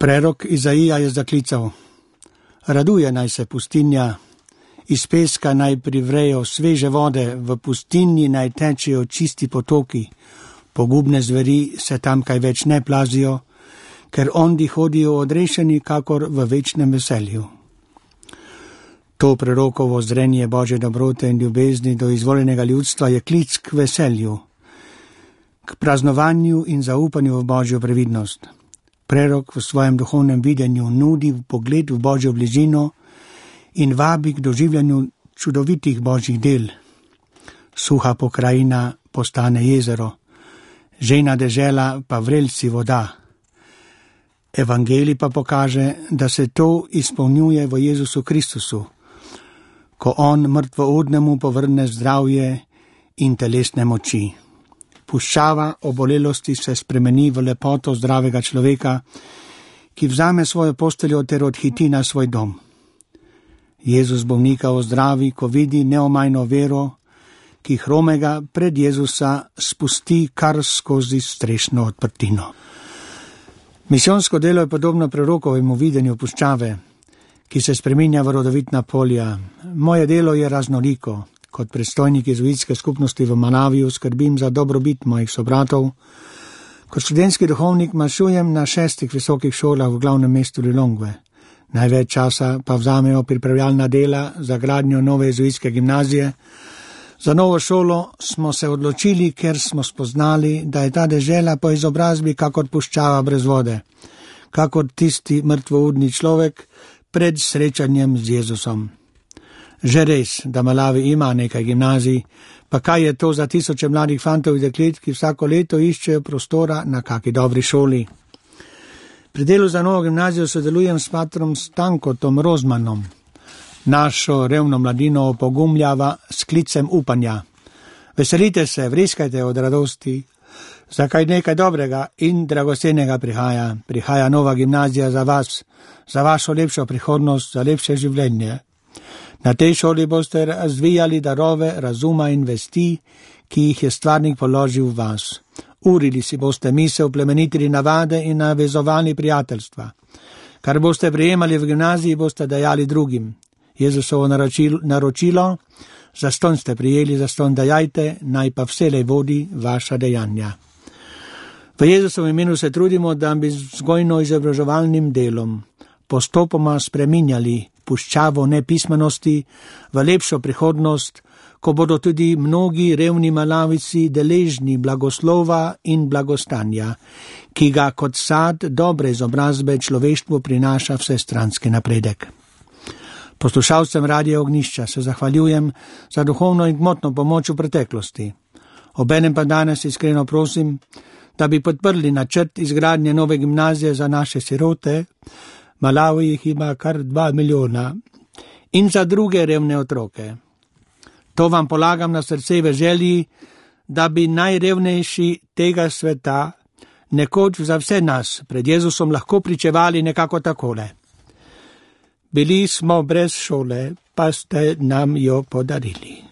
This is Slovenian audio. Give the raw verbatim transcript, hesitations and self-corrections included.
Prerok Izaija je zaklical: raduje naj se pustinja, iz peska naj privrejo sveže vode, v pustinji naj tečejo čisti potoki, pogubne zveri se tam kaj več ne plazijo, ker ondi hodijo odrešeni kakor v večnem veselju. To prerokovo zrenje Božje dobrote in ljubezni do izvoljenega ljudstva je klic k veselju, k praznovanju in zaupanju v Božjo previdnost. Prerok v svojem duhovnem videnju nudi pogled v Božjo bližino in vabi k doživljanju čudovitih Božjih del. Suha pokrajina postane jezero, žejna dežela pa vrelci voda. Evangelij pa pokaže, da se to izpolnjuje v Jezusu Kristusu, ko on mrtvoudnemu povrne zdravje in telesne moči. Puščava obolelosti se spremeni v lepoto zdravega človeka, ki vzame svojo posteljo ter odhiti na svoj dom. Jezus bolnika ozdravi, ko vidi neomajno vero, ki hromega pred Jezusa spusti kar skozi strešno odprtino. Misijonsko delo je podobno prerokovemu videnju puščave, ki se spreminja v rodovitna polja. Moje delo je raznoliko. Kot predstojnik jezuitske skupnosti v Malaviju skrbim za dobrobit mojih sobratov. Kot študentski duhovnik mašujem na šestih visokih šolah v glavnem mestu Lilongve. Največ časa pa vzamejo pripravljalna dela za gradnjo nove jezuitske gimnazije. Za novo šolo smo se odločili, ker smo spoznali, da je ta dežela po izobrazbi kakor puščava brez vode, kakor tisti mrtvoudni človek pred srečanjem z Jezusom. Že res, da Malawi ima nekaj gimnazij, pa kaj je to za tisoče mladih fantov in deklet, ki vsako leto iščejo prostora na kaki dobri šoli. Pri delu za novo gimnazijo sodelujem s patrom Stankotom Rozmanom. Našo revno mladino opogumljava s klicem upanja. Veselite se, vriskajte od radosti, zakaj nekaj dobrega in dragocenega prihaja. Prihaja nova gimnazija za vas, za vašo lepšo prihodnost, za lepše življenje. Na tej šoli boste razvijali darove razuma in vesti, ki jih je stvarnik položil v vas. Urili si boste misel, plemenitili navade in navezovali prijateljstva. Kar boste prejemali v gimnaziji, boste dajali drugim. Jezusovo naročilo, naročilo zastonj ste prijeli, zastonj dajajte, naj pa vselej vodi vaša dejanja. V Jezusovem imenu se trudimo, da bi vzgojno-izobraževalnim delom postopoma spreminjali puščavo nepismenosti v lepšo prihodnost, ko bodo tudi mnogi revni Malavici deležni blagoslova in blagostanja, ki ga kot sad dobre izobrazbe človeštvu prinaša vsestranski napredek. Poslušalcem Radija Ognjišča se zahvaljujem za duhovno in gmotno pomoč v preteklosti. Obenem pa danes iskreno prosim, da bi podprli načrt izgradnje nove gimnazije za naše sirote, Malawi jih ima kar dva milijona, in za druge revne otroke. To vam polagam na srce v želji, da bi najrevnejši tega sveta nekoč za vse nas pred Jezusom lahko pričevali nekako takole. Bili smo brez šole, pa ste nam jo podarili.